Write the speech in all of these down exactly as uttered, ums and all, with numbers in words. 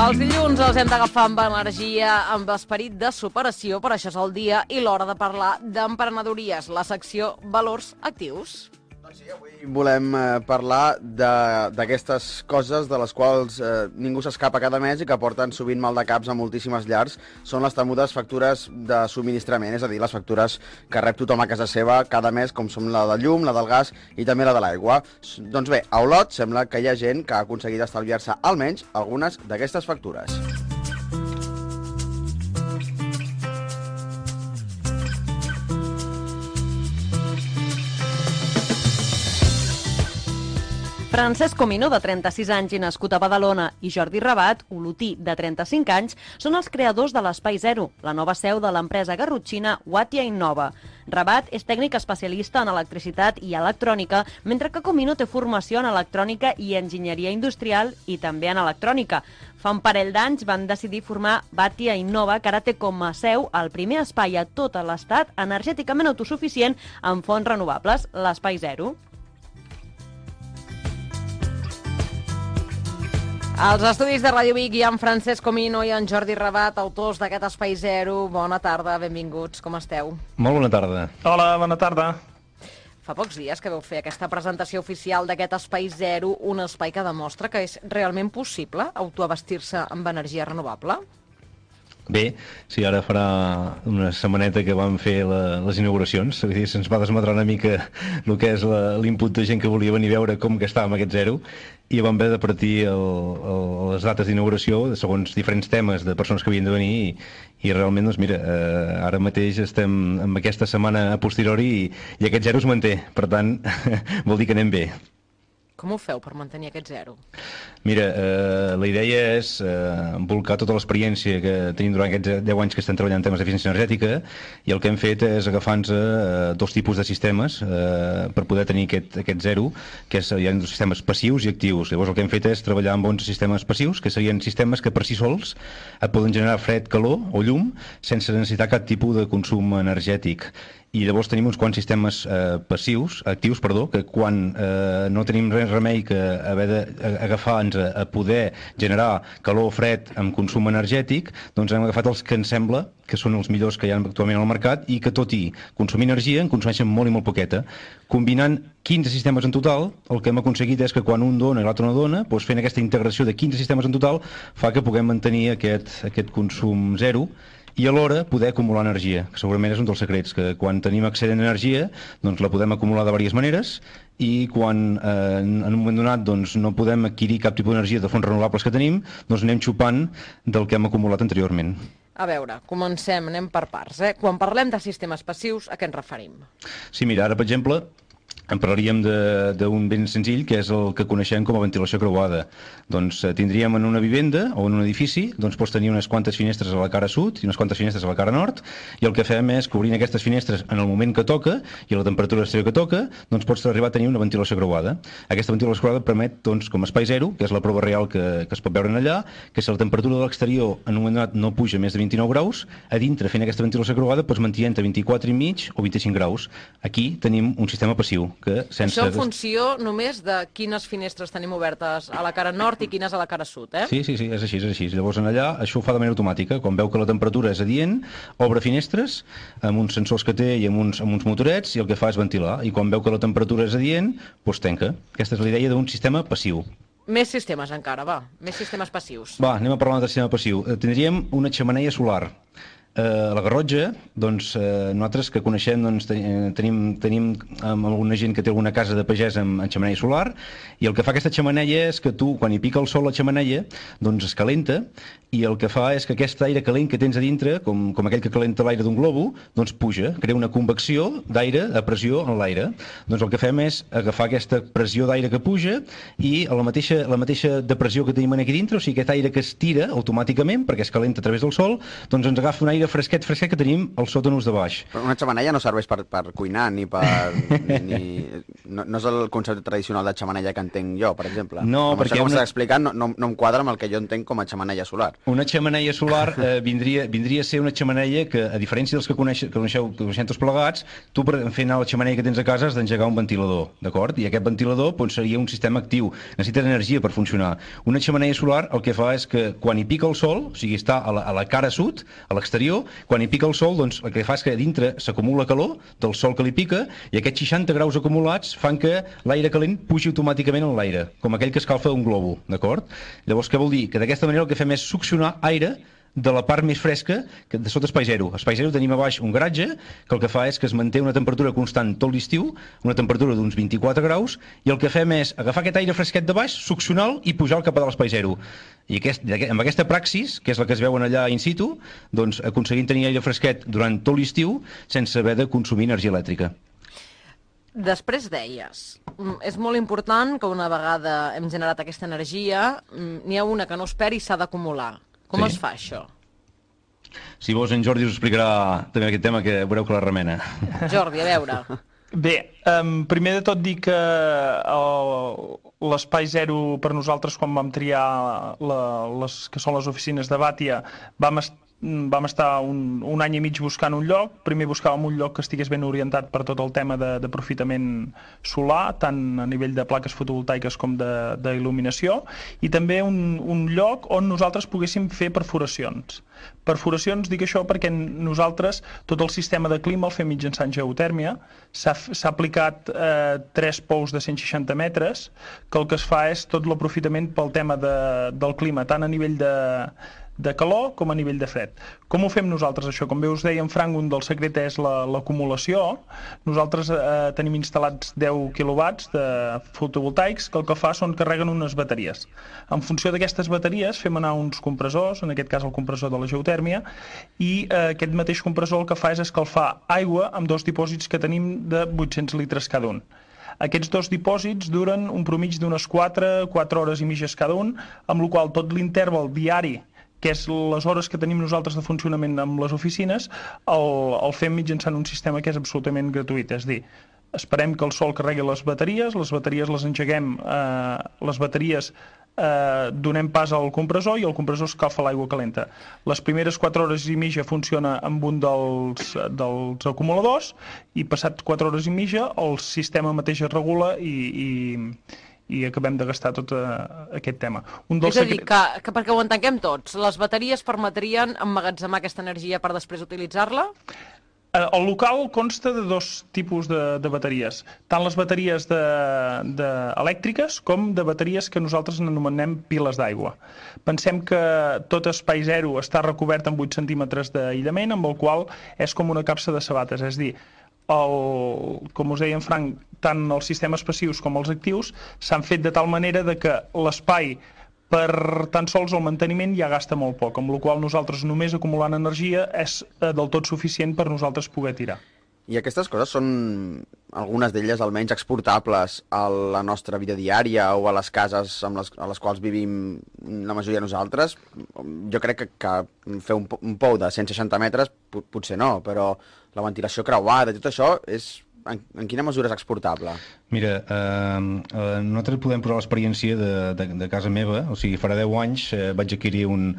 Els dilluns els hem d'agafar amb energia, amb esperit de superació, per això és el dia i l'hora de parlar d'emprenedories, la secció Valors Actius. Doncs sí, avui volem eh, parlar d'aquestes coses de les quals eh, ningú s'escapa cada mes i que porten sovint mal de caps a moltíssimes llars. Són les temudes factures de subministrament, és a dir, les factures que rep tothom a casa seva cada mes, com són la del llum, la del gas i també la de l'aigua. Doncs bé, a Olot sembla que hi ha gent que ha aconseguit estalviar-se almenys algunes d'aquestes factures. Francesc Comino, de trenta-sis anys i nascut a Badalona, i Jordi Rabat, olotí, de trenta-cinc anys, són els creadors de l'Espai Zero, la nova seu de l'empresa garrotxina Watia Innova. Rabat és tècnic especialista en electricitat i electrònica, mentre que Comino té formació en electrònica i enginyeria industrial i també en electrònica. Fa un parell d'anys van decidir formar Watia Innova, que ara té com a seu el primer espai a tot l'estat energèticament autosuficient amb fonts renovables, l'Espai Zero. Als estudis de Ràdio Vic hi ha en Francesc Comino i en Jordi Rabat, autors d'aquest Espai Zero. Bona tarda, benvinguts, com esteu? Molt bona tarda. Hola, bona tarda. Fa pocs dies que vau fer aquesta presentació oficial d'aquest Espai Zero, un espai que demostra que és realment possible autoabastir-se amb energia renovable? Bé, sí, ara farà una setmaneta que vam fer la, les inauguracions, vull dir, se'ns va desmadrar una mica el que és l'input de gent que volia venir a veure com gastàvem aquest zero, i vam haver de partir el, el, les dates d'inauguració segons diferents temes de persones que havien de venir, i, i realment, doncs mira, eh, ara mateix estem en aquesta setmana a posteriori i, i aquest zero es manté, per tant, vol dir que anem bé. Com ho feu per mantenir aquest zero? Mira, eh, la idea és eh, volcar tota l'experiència que tenim durant aquests deu anys que estem treballant en temes d'eficiència energètica, i el que hem fet és agafar-nos eh, dos tipus de sistemes eh, per poder tenir aquest, aquest zero, que és, hi ha dos sistemes passius i actius. Llavors el que hem fet és treballar amb onze sistemes passius, que serien sistemes que per si sols et poden generar fred, calor o llum sense necessitar cap tipus de consum energètic. I llavors tenim uns quants sistemes eh, passius, actius, perdó, que quan eh, no tenim res remei que haver d'agafar-nos a, a poder generar calor o fred amb consum energètic, doncs hem agafat els que ens sembla que són els millors que hi ha actualment al mercat i que, tot i consumir energia, en consumeixen molt i molt poqueta. Combinant quinze sistemes en total, el que hem aconseguit és que quan un dona i l'altre no dona, doncs fent aquesta integració de quinze sistemes en total, fa que puguem mantenir aquest, aquest consum zero, i alhora poder acumular energia, que segurament és un dels secrets, que quan tenim excedent d'energia doncs la podem acumular de diverses maneres, i quan eh, en un moment donat doncs, no podem adquirir cap tipus d'energia de fonts renovables que tenim, doncs anem xupant del que hem acumulat anteriorment. A veure, comencem, anem per parts. Eh? Quan parlem de sistemes passius, a què ens referim? Sí, mira, ara, per exemple, en parlaríem d'un ben senzill, que és el que coneixem com a ventilació creuada. Doncs eh, tindríem en una vivenda o en un edifici, doncs pots tenir unes quantes finestres a la cara sud i unes quantes finestres a la cara nord, i el que fem és, cobrint aquestes finestres en el moment que toca i a la temperatura exterior que toca, doncs pots arribar a tenir una ventilació creuada. Aquesta ventilació creuada permet, doncs, com a espai zero, que és la prova real que, que es pot veure allà, que si la temperatura de l'exterior en un moment donat no puja més de vint-i-nou graus, a dintre fent aquesta ventilació creuada pots mantenir entre vint-i-quatre i mig o vint-i-cinc graus. Aquí tenim un sistema passiu, que sense... Això en funció només de quines finestres tenim obertes a la cara nord i quines a la cara sud, eh? Sí, sí, sí, és així, és així. Llavors, en allà, això ho fa de manera automàtica. Quan veu que la temperatura és adient, obre finestres amb uns sensors que té i amb uns, amb uns motorets, i el que fa és ventilar. I quan veu que la temperatura és adient, doncs tanca. Aquesta és la idea d'un sistema passiu. Més sistemes encara, va. Més sistemes passius. Va, anem a parlar del sistema passiu. Tindríem una xemeneia solar. Eh, la Garrotxa, doncs, eh, nosaltres que coneixem, doncs, tenim, tenim amb alguna gent que té alguna casa de pagès amb, amb xemeneia solar, i el que fa aquesta xemeneia és que tu, quan hi pica el sol a la xemeneia, doncs es calenta, i el que fa és que aquest aire calent que tens a dintre, com, com aquell que calenta l'aire d'un globo, doncs puja, crea una convecció d'aire a pressió en l'aire. Doncs el que fem és agafar aquesta pressió d'aire que puja i la mateixa, la mateixa depressió que tenim aquí dintre, o sigui, aquest aire que es tira automàticament, perquè es calenta a través del sol, doncs ens agafa un aire fresquet, fresquet que tenim al sòtanus de baix. Però una xemeneia no serveix per, per cuinar, ni per... ni... No, no és el concepte tradicional de xemeneia que entenc jo, per exemple. No, amb perquè... això que una... m'estàs explicant no, no, no em quadra amb el que jo entenc com a xemeneia solar. Una xemeneia solar eh, vindria, vindria a ser una xemeneia que, a diferència dels que, coneix, que coneixeu, que coneixem tots plegats, tu per fer anar la xemeneia que tens a casa has d'engegar un ventilador, d'acord? I aquest ventilador doncs, seria un sistema actiu, necessita energia per funcionar. Una xemeneia solar el que fa és que quan hi pica el sol, o sigui, està a la, a la cara sud, a l'exterior, quan hi pica el sol, doncs el que fa és que a dintre s'acumula calor del sol que li pica i aquests seixanta graus acumulats fan que l'aire calent pugi automàticament en l'aire, com aquell que escalfa un globo, d'acord? Llavors, què vol dir? Que d'aquesta manera el que fem és succionar aire de la part més fresca que de sota espai zero. A espai zero tenim a baix un garatge que el que fa és que es manté una temperatura constant tot l'estiu, una temperatura d'uns vint-i-quatre graus, i el que fem és agafar aquest aire fresquet de baix, succionar-lo i pujar-lo cap a l'espai zero. I aquest, amb aquesta praxis, que és la que es veuen allà in situ, doncs aconseguim tenir aire fresquet durant tot l'estiu sense haver de consumir energia elèctrica. Després deies, és molt important que una vegada hem generat aquesta energia, n'hi ha una que no es perd i s'ha d'acumular. Com Sí. es fa això? Si vols, en Jordi us explicarà també aquest tema, que veureu que la remena. Jordi, a veure. Bé, um, primer de tot dir que l'espai zero per nosaltres, quan vam triar la, les, que són les oficines de Bàtia, vam estar vam estar un, un any i mig buscant un lloc. Primer buscàvem un lloc que estigués ben orientat per tot el tema de, d'aprofitament solar, tant a nivell de plaques fotovoltaiques com d'il·luminació, i també un, un lloc on nosaltres poguéssim fer perforacions. Perforacions, dic això perquè nosaltres tot el sistema de clima el fem mitjançant geotèrmia. S'ha aplicat eh, tres pous de cent seixanta metres, que el que es fa és tot l'aprofitament pel tema de, del clima, tant a nivell de de calor com a nivell de fred. Com ho fem nosaltres, això? Com bé us deia en Frank, un dels secrets és l'acumulació. Nosaltres eh, tenim instal·lats deu quilowatts de fotovoltaics que el que fa són carreguen unes bateries. En funció d'aquestes bateries fem anar uns compressors, en aquest cas el compressor de la geotèrmia, i eh, aquest mateix compressor el que fa és escalfar aigua amb dos dipòsits que tenim de vuit-cents litres cada un. Aquests dos dipòsits duren un promig d'unes quatre, quatre hores i mitges cada un, amb la qual tot l'interval diari, que és les hores que tenim nosaltres de funcionament amb les oficines, el, el fem mitjançant un sistema que és absolutament gratuït. És a dir, esperem que el sol carregui les bateries, les bateries les engeguem, eh, les bateries eh, donem pas al compressor i el compressor escalfa l'aigua calenta. Les primeres quatre hores i mitja funciona amb un dels, dels acumuladors i passat quatre hores i mitja el sistema mateix es regula i... i i acabem de gastar tot uh, aquest tema. Un dels És a dir, secret... que, que perquè ho entenguem tots, les bateries permetrien emmagatzemar aquesta energia per després utilitzar-la? El local consta de dos tipus de, de bateries, tant les bateries de, de elèctriques com de bateries que nosaltres anomenem piles d'aigua. Pensem que tot espai zero està recobert amb vuit centímetres d'aïllament, amb el qual és com una capsa de sabates, és a dir, el, com us deia en Frank, tant els sistemes passius com els actius s'han fet de tal manera de que l'espai per tan sols el manteniment ja gasta molt poc, amb la qual nosaltres només acumulant energia és del tot suficient per nosaltres poder tirar. I aquestes coses són, algunes d'elles almenys, exportables a la nostra vida diària o a les cases amb les, a les quals vivim la majoria de nosaltres? Jo crec que, que fer un, un pou de cent seixanta metres potser no, però la ventilació creuada, tot això, és, en, en quina mesura és exportable? Mira, eh, eh, nosaltres podem posar l'experiència de, de, de casa meva, o sigui, farà deu anys eh, vaig adquirir un,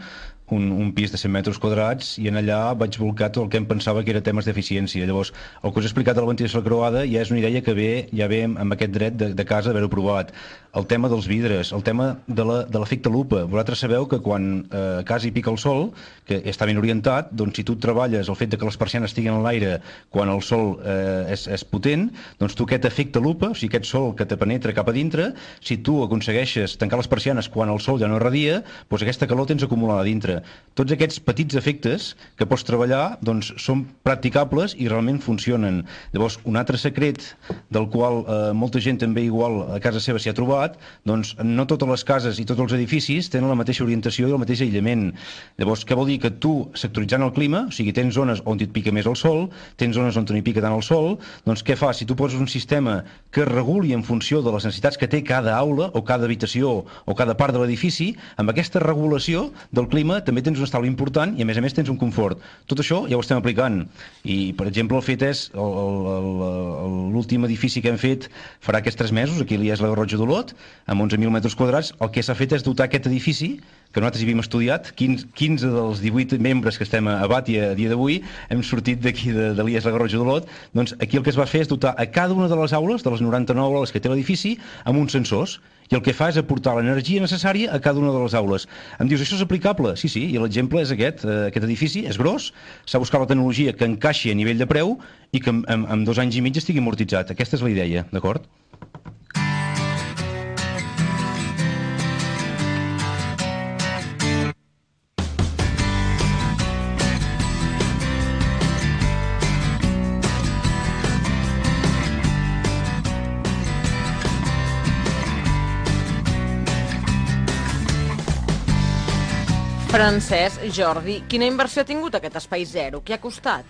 un, un pis de cent metres quadrats i en allà vaig volcar tot el que em pensava que era temes d'eficiència. Llavors, el que us he explicat de la ventilació creuada ja és una idea que ve, ja ve amb aquest dret de, de casa d'haver-ho provat. El tema dels vidres, el tema de l'efecte la, lupa. Vosaltres sabeu que quan eh, a casa hi pica el sol, que està ben orientat, doncs si tu treballes el fet de que les persianes estiguin a l'aire quan el sol eh, és, és potent, doncs tu aquest efecte lupa, o sigui, aquest sol que te penetra cap a dintre, si tu aconsegueixes tancar les persianes quan el sol ja no irradia, doncs aquesta calor tens acumulada a dintre. Tots aquests petits efectes que pots treballar doncs, són practicables i realment funcionen. Llavors, un altre secret del qual eh, molta gent també igual a casa seva s'hi ha trobat debat, doncs no totes les cases i tots els edificis tenen la mateixa orientació i el mateix aïllament. Llavors, què vol dir? Que tu, sectoritzant el clima, o sigui, tens zones on et pica més el sol, tens zones on no hi pica tant el sol, doncs què fas? Si tu poses un sistema que reguli en funció de les necessitats que té cada aula o cada habitació o cada part de l'edifici, amb aquesta regulació del clima també tens un estalvi important i a més a més tens un confort. Tot això ja ho estem aplicant i, per exemple, el fet és l'últim edifici que hem fet farà aquests tres mesos, aquí a l'I E S La Garrotxa d'Olot, amb onze mil metres quadrats, el que s'ha fet és dotar aquest edifici, que nosaltres hi havíem estudiat, quinze dels divuit membres que estem a Bàtia a dia d'avui, hem sortit d'aquí de, de l'I E S La Garrotxa d'Olot, doncs aquí el que es va fer és dotar a cada una de les aules, de les noranta-nou aules que té l'edifici, amb uns sensors, i el que fa és aportar l'energia necessària a cada una de les aules. Em dius, això és aplicable? Sí, sí, i l'exemple és aquest. Aquest edifici és gros, s'ha buscat la tecnologia que encaixi a nivell de preu i que en, en, en dos anys i mig estigui amortitzat. Aquesta és la idea, d'acord? Francesc, Jordi, quina inversió ha tingut aquest Espai Zero? Què ha costat?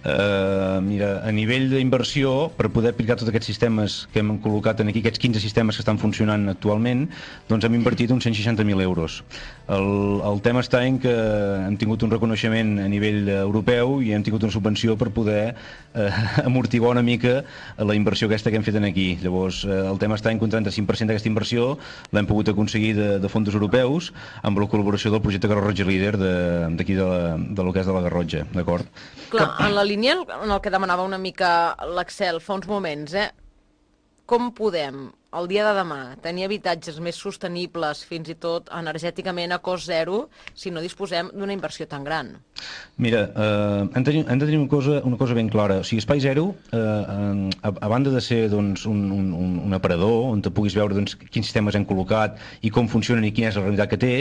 Uh, mira, a nivell d'inversió, per poder aplicar tots aquests sistemes que hem col·locat aquí, aquests quinze sistemes que estan funcionant actualment, doncs hem invertit uns cent seixanta mil euros. El, el tema està en que hem tingut un reconeixement a nivell europeu i hem tingut una subvenció per poder eh, amortiguar una mica la inversió aquesta que hem fet aquí. Llavors, eh, el tema està en que un trenta-cinc per cent d'aquesta inversió l'hem pogut aconseguir de, de fons europeus amb la col·laboració del projecte Garrotxa Líder d'aquí de, de, de lo que és de la Garrotxa, d'acord? Clar, en la línia en el que demanava una mica l'Axel fa uns moments, eh? Com podem, el dia de demà, tenir habitatges més sostenibles, fins i tot energèticament a cost zero, si no disposem d'una inversió tan gran? Mira, eh, hem, de, hem de tenir una cosa, una cosa ben clara. O sigui, Espai Zero, eh, a, a banda de ser doncs, un, un, un aparador on te puguis veure doncs, quins sistemes hem col·locat i com funcionen i quina és la realitat que té,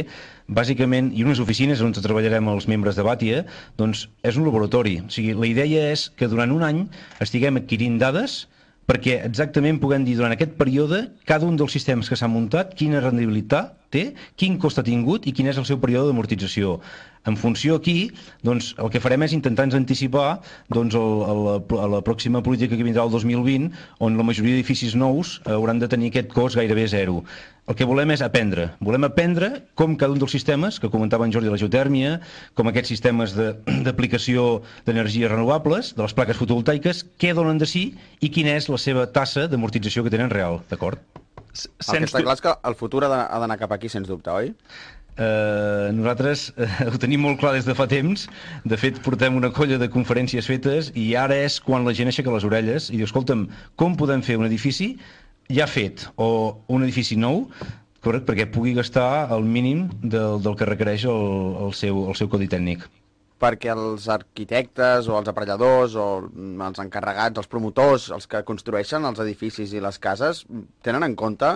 bàsicament, i unes oficines on treballarem els membres de Bàtia, doncs és un laboratori. O sigui, la idea és que durant un any estiguem adquirint dades perquè exactament puguem dir durant aquest període cada un dels sistemes que s'ha muntat quina rendibilitat té, quin cost ha tingut i quin és el seu període d'amortització. En funció aquí, doncs, el que farem és intentar-nos anticipar doncs, el, el, a la pròxima política que vindrà el dos mil vint, on la majoria d'edificis nous hauran de tenir aquest cost gairebé zero. El que volem és aprendre. Volem aprendre com cada un dels sistemes, que comentava en Jordi, la geotèrmia, com aquests sistemes d'aplicació d'energies renovables, de les plaques fotovoltaiques, què donen de si i quina és la seva tassa d'amortització que tenen real, d'acord? El que està clar és que el futur ha d'anar cap aquí, sens dubte, oi? Uh, nosaltres uh, ho tenim molt clar des de fa temps. De fet, portem una colla de conferències fetes i ara és quan la gent aixeca les orelles i diu, escolta'm, com podem fer un edifici ja fet o un edifici nou, correcte, perquè pugui gastar el mínim del, del que requereix el, el, seu, el seu codi tècnic. Perquè els arquitectes o els aparelladors o els encarregats, els promotors, els que construeixen els edificis i les cases, tenen en compte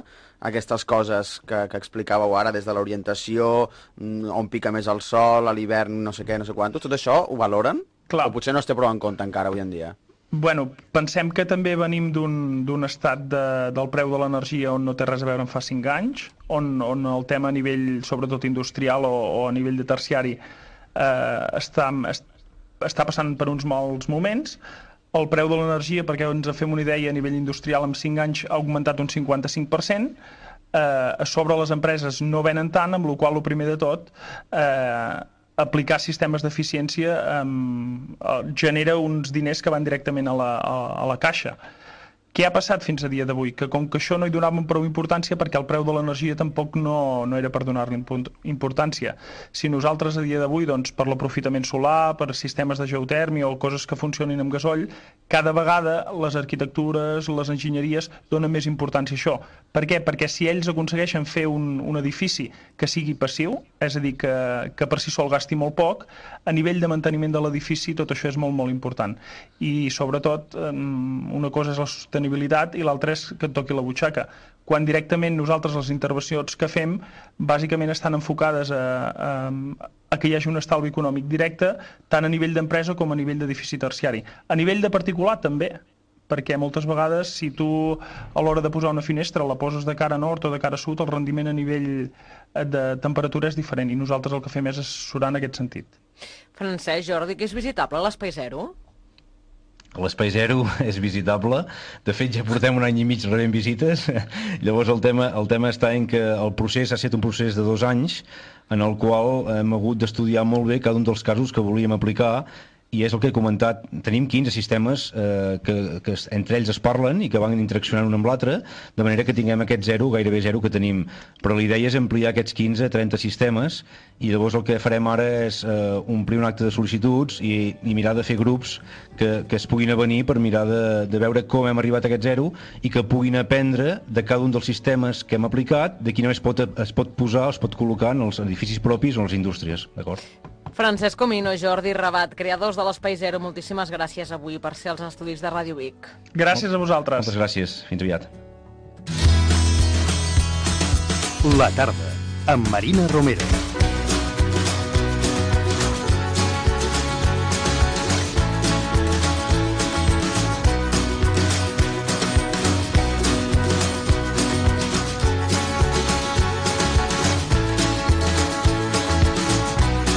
aquestes coses que, que explicàveu ara, des de l'orientació, on pica més el sol, a l'hivern, no sé què, no sé quantos, tot això ho valoren? Clar. O potser no es té prou en compte encara avui en dia? Bueno, pensem que també venim d'un estat de, del preu de l'energia on no té res a veure en fa cinc anys, on, on el tema a nivell, sobretot industrial o, o a nivell de terciari, eh, està, està passant per uns mals moments. El preu de l'energia, perquè ens en fem una idea, a nivell industrial en cinc anys ha augmentat un cinquanta-cinc per cent. Eh, a sobre les empreses no venen tant, amb la qual cosa, el primer de tot, eh, aplicar sistemes d'eficiència eh, genera uns diners que van directament a la, a, a la caixa. Què ha passat fins a dia d'avui? Que com que això no hi donàvem prou importància, perquè el preu de l'energia tampoc no, no era per donar-li importància. Si nosaltres a dia d'avui, doncs, per l'aprofitament solar, per sistemes de geotèrmia o coses que funcionin amb gasoll, cada vegada les arquitectures, les enginyeries donen més importància a això. Per què? Perquè si ells aconsegueixen fer un, un edifici que sigui passiu, és a dir, que, que per si sol gasti molt poc, a nivell de manteniment de l'edifici tot això és molt, molt important. I sobretot, una cosa és la sostenibilitat i l'altra és que et toqui la butxaca. Quan directament nosaltres les intervencions que fem bàsicament estan enfocades a, a, a que hi hagi un estalvi econòmic directe tant a nivell d'empresa com a nivell d'edifici terciari. A nivell de particular també, perquè moltes vegades si tu a l'hora de posar una finestra la poses de cara nord o de cara sud, el rendiment a nivell de temperatura és diferent i nosaltres el que fem és assessorar en aquest sentit. Francesc, Jordi, que és visitable l'Espai Zero? L'Espai Zero és visitable, de fet ja portem un any i mig rebent visites, llavors el tema, el tema està en que el procés ha estat un procés de dos anys en el qual hem hagut d'estudiar molt bé cada un dels casos que volíem aplicar i és el que he comentat, tenim quinze sistemes eh, que, que entre ells es parlen i que van interaccionant un amb l'altre, de manera que tinguem aquest zero, gairebé zero que tenim. Però la idea és ampliar aquests quinze a trenta sistemes i llavors el que farem ara és eh, omplir un acte de sol·licituds i, i mirar de fer grups que, que es puguin avenir per mirar de, de veure com hem arribat a aquest zero i que puguin aprendre de cada un dels sistemes que hem aplicat, de quina es pot, es pot posar, es pot col·locar en els edificis propis o en les indústries, d'acord? Francesc Comino, Jordi Rabat, creadors de l'Espai Zero, moltíssimes gràcies avui per ser als estudis de Ràdio Vic. Gràcies a vosaltres. Moltes gràcies. Fins aviat. La tarda, amb Marina Romero.